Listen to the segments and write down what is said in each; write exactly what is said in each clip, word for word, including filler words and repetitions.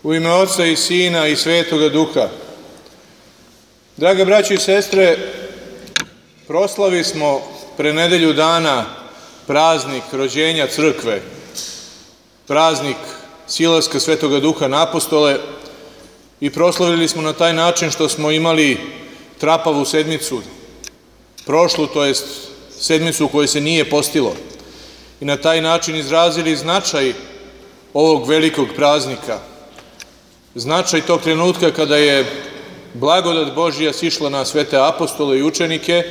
U ime Oca i Sina i Svetoga Duha. Drage braće i sestre, proslavi smo pre nedelju dana praznik rođenja crkve, praznik silaska Svetoga Duha na apostole i proslavili smo na taj način što smo imali trapavu sedmicu, prošlu, to jest sedmicu u kojoj se nije postilo, i na taj način izrazili značaj ovog velikog praznika, značaj tog trenutka kada je blagodat Božja sišla na svete apostole i učenike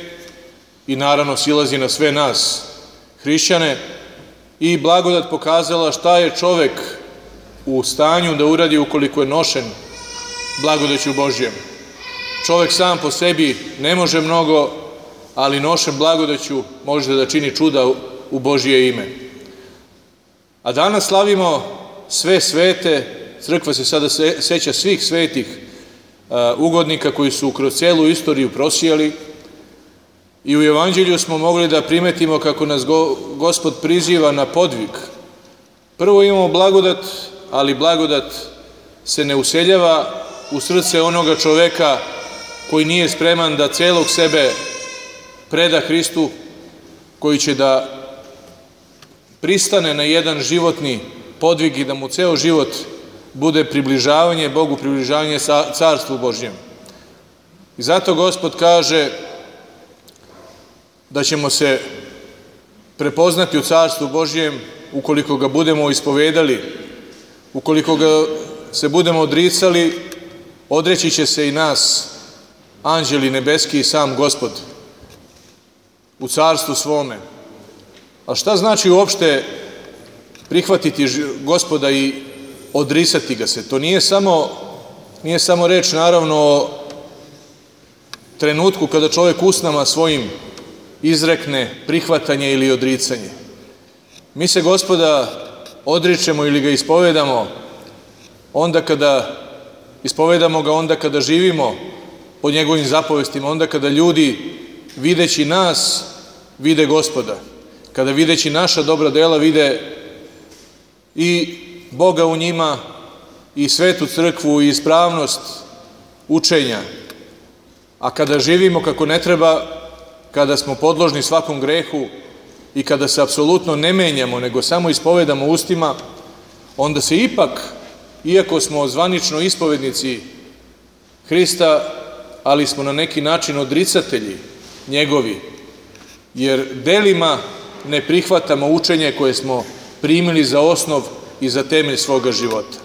i naravno silazi na sve nas, hrišćane, i blagodat pokazala šta je čovek u stanju da uradi ukoliko je nošen blagodaću Božjem. Čovek sam po sebi ne može mnogo, ali nošen blagodaću može da čini čuda u Božje ime. A danas slavimo sve svete, crkva se sada seća svih svetih ugodnika koji su kroz celu istoriju prosijali, i u Evanđelju smo mogli da primetimo kako nas Gospod priziva na podvig. Prvo imamo blagodat, ali blagodat se ne useljava u srce onoga čoveka koji nije spreman da celog sebe preda Hristu, koji će da pristane na jedan životni podvig i da mu ceo život bude približavanje Bogu, približavanje Carstvu Božjem. I zato Gospod kaže da ćemo se prepoznati u Carstvu Božjem ukoliko ga budemo ispovedali, ukoliko ga se budemo odricali, odreći će se i nas anđeli nebeski i sam Gospod u carstvu svome. A šta znači uopšte prihvatiti Gospoda i odrisati ga se? To nije samo, nije samo reč, naravno, o trenutku kada čovjek usnama svojim izrekne prihvatanje ili odricanje. Mi se Gospoda odričemo ili ga ispovedamo onda kada ispovedamo ga onda kada živimo po njegovim zapovestima, onda kada ljudi videći nas vide Gospoda, kada videći naša dobra dela vide i Boga u njima i svetu crkvu i ispravnost učenja. A kada živimo kako ne treba, kada smo podložni svakom grehu i kada se apsolutno ne menjamo, nego samo ispovedamo ustima, onda se ipak, iako smo zvanično ispovednici Hrista, ali smo na neki način odricatelji njegovi, jer delima ne prihvatamo učenje koje smo primili za osnov i za temelj svoga života.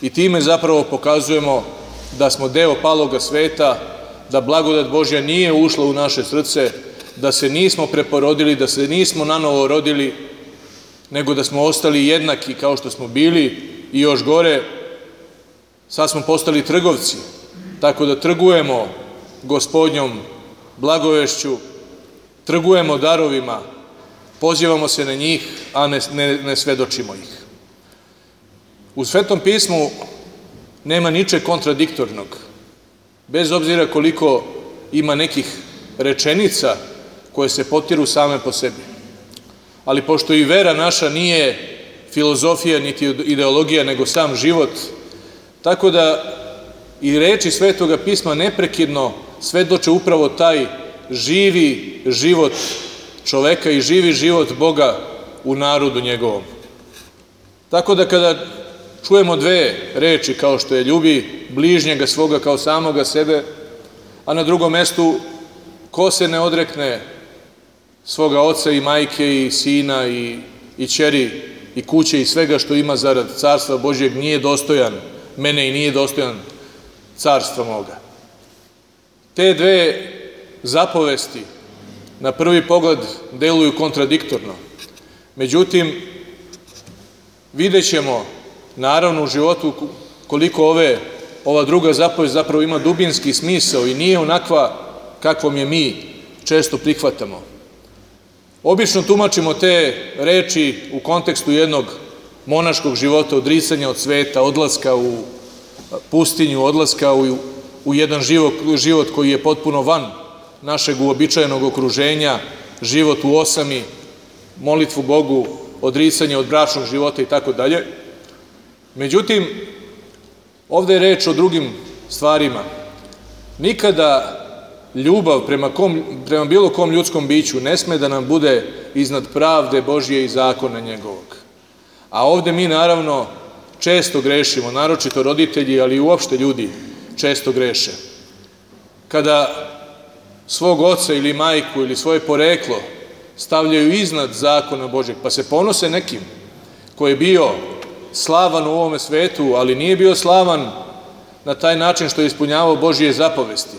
I time zapravo pokazujemo da smo deo paloga sveta, da blagodat Božja nije ušla u naše srce, da se nismo preporodili, da se nismo nanovo rodili, nego da smo ostali jednaki kao što smo bili i još gore, sad smo postali trgovci, tako da trgujemo Gospodnjom blagovešću, trgujemo darovima, pozivamo se na njih, a ne, ne, ne svedočimo ih. U Svetom pismu nema ničeg kontradiktornog, bez obzira koliko ima nekih rečenica koje se potiru same po sebi. Ali pošto i vera naša nije filozofija niti ideologija, nego sam život, tako da i reči Svetoga pisma neprekidno svedoče upravo taj živi život čoveka i živi život Boga u narodu njegovom. Tako da kada čujemo dve reči kao što je ljubi bližnjega svoga kao samoga sebe, a na drugom mestu ko se ne odrekne svoga oca i majke i sina i, i ćeri i kuće i svega što ima zarad Carstva Božjeg nije dostojan mene i nije dostojan carstva moga. Te dve zapovesti na prvi pogled deluju kontradiktorno. Međutim, vidjet ćemo naravno u životu koliko ove, ova druga zapovest zapravo ima dubinski smisao i nije onakva kakvom je mi često prihvatamo. Obično tumačimo te reči u kontekstu jednog monaškog života, odricanja od sveta, odlaska u pustinju, odlaska u, u jedan život, život koji je potpuno van našeg uobičajenog okruženja, život u osami, molitvu Bogu, odricanje od bračnog života i tako dalje. Međutim, Ovde je reč o drugim stvarima. Nikada ljubav prema, kom, prema bilo kom ljudskom biću ne sme da nam bude iznad pravde Božje i zakona njegovog. A ovde mi naravno često grešimo, naročito roditelji, ali i uopšte ljudi često greše. Kada svog oca ili majku ili svoje poreklo stavljaju iznad zakona Božjeg, pa se ponose nekim koji je bio slavan u ovome svetu, ali nije bio slavan na taj način što je ispunjavao Božje zapovesti,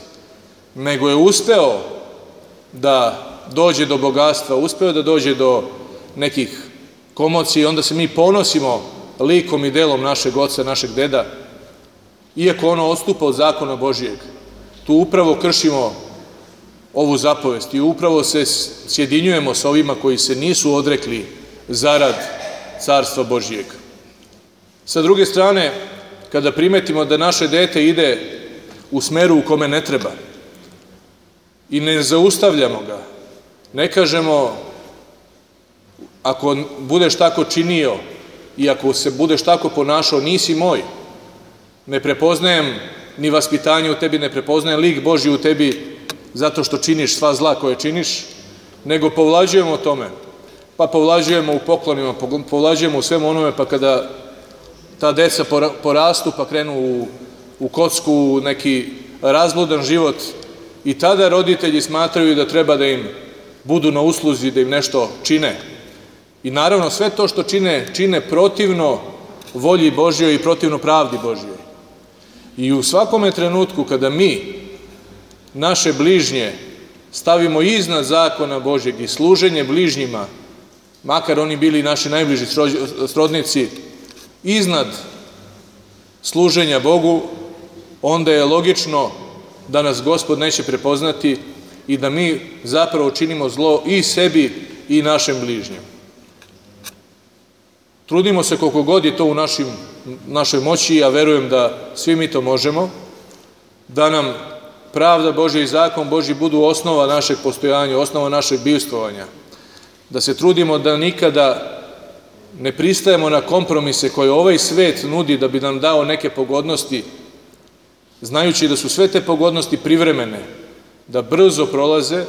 nego je uspeo da dođe do bogatstva, uspeo da dođe do nekih komocija, onda se mi ponosimo likom i delom našeg oca, našeg deda, iako ono odstupa od zakona Božijeg. Tu upravo kršimo ovu zapovest i upravo se sjedinjujemo sa ovima koji se nisu odrekli zarad carstva Božijeg. Sa druge strane, kada primetimo da naše dete ide u smeru u kome ne treba i ne zaustavljamo ga, ne kažemo ako budeš tako činio i ako se budeš tako ponašao, nisi moj, ne prepoznajem ni vaspitanje u tebi, ne prepoznajem lik Božji u tebi zato što činiš sva zla koje činiš, nego povlađujemo o tome, pa povlađujemo u poklonima, povlađujemo u svemu onome, pa kada ta deca porastu pa krenu u, u kocku, u neki razbludan život, i tada roditelji smatraju da treba da im budu na usluzi, da im nešto čine. I naravno sve to što čine, čine protivno volji Božjoj i protivno pravdi Božjoj. I u svakome trenutku kada mi naše bližnje stavimo iznad zakona Božjeg i služenje bližnjima, makar oni bili naši najbliži srodnici, iznad služenja Bogu, onda je logično da nas Gospod neće prepoznati i da mi zapravo činimo zlo i sebi i našem bližnjem. Trudimo se koliko god je to u našim, našoj moći, ja verujem da svi mi to možemo, da nam pravda Božja i zakon Božji budu osnova našeg postojanja, osnova našeg bivstvovanja, da se trudimo da nikada ne pristajemo na kompromise koje ovaj svet nudi da bi nam dao neke pogodnosti, znajući da su sve te pogodnosti privremene, da brzo prolaze,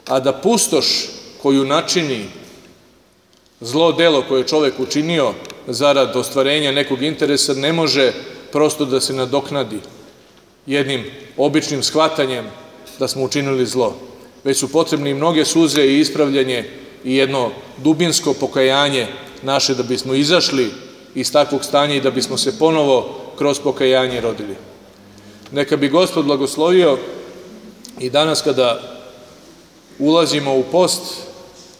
a da pustoš koju načini zlo delo koje je čovek učinio zarad ostvarenja nekog interesa ne može prosto da se nadoknadi jednim običnim shvatanjem da smo učinili zlo, već su potrebni mnoge suze i ispravljanje i jedno dubinsko pokajanje naše da bismo izašli iz takvog stanja i da bismo se ponovo kroz pokajanje rodili. Neka bi Gospod blagoslovio i danas kada ulazimo u post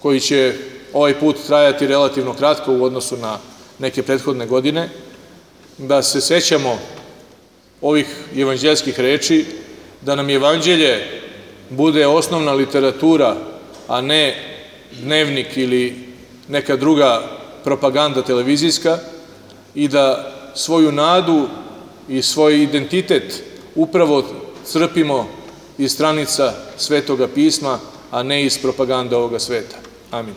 koji će ovaj put trajati relativno kratko u odnosu na neke prethodne godine, da se sećamo ovih evanđeljskih reči, da nam evanđelje bude osnovna literatura, a ne dnevnik ili neka druga propaganda televizijska, i da svoju nadu i svoj identitet upravo crpimo iz stranica Svetoga pisma, a ne iz propagande ovoga sveta. Amin.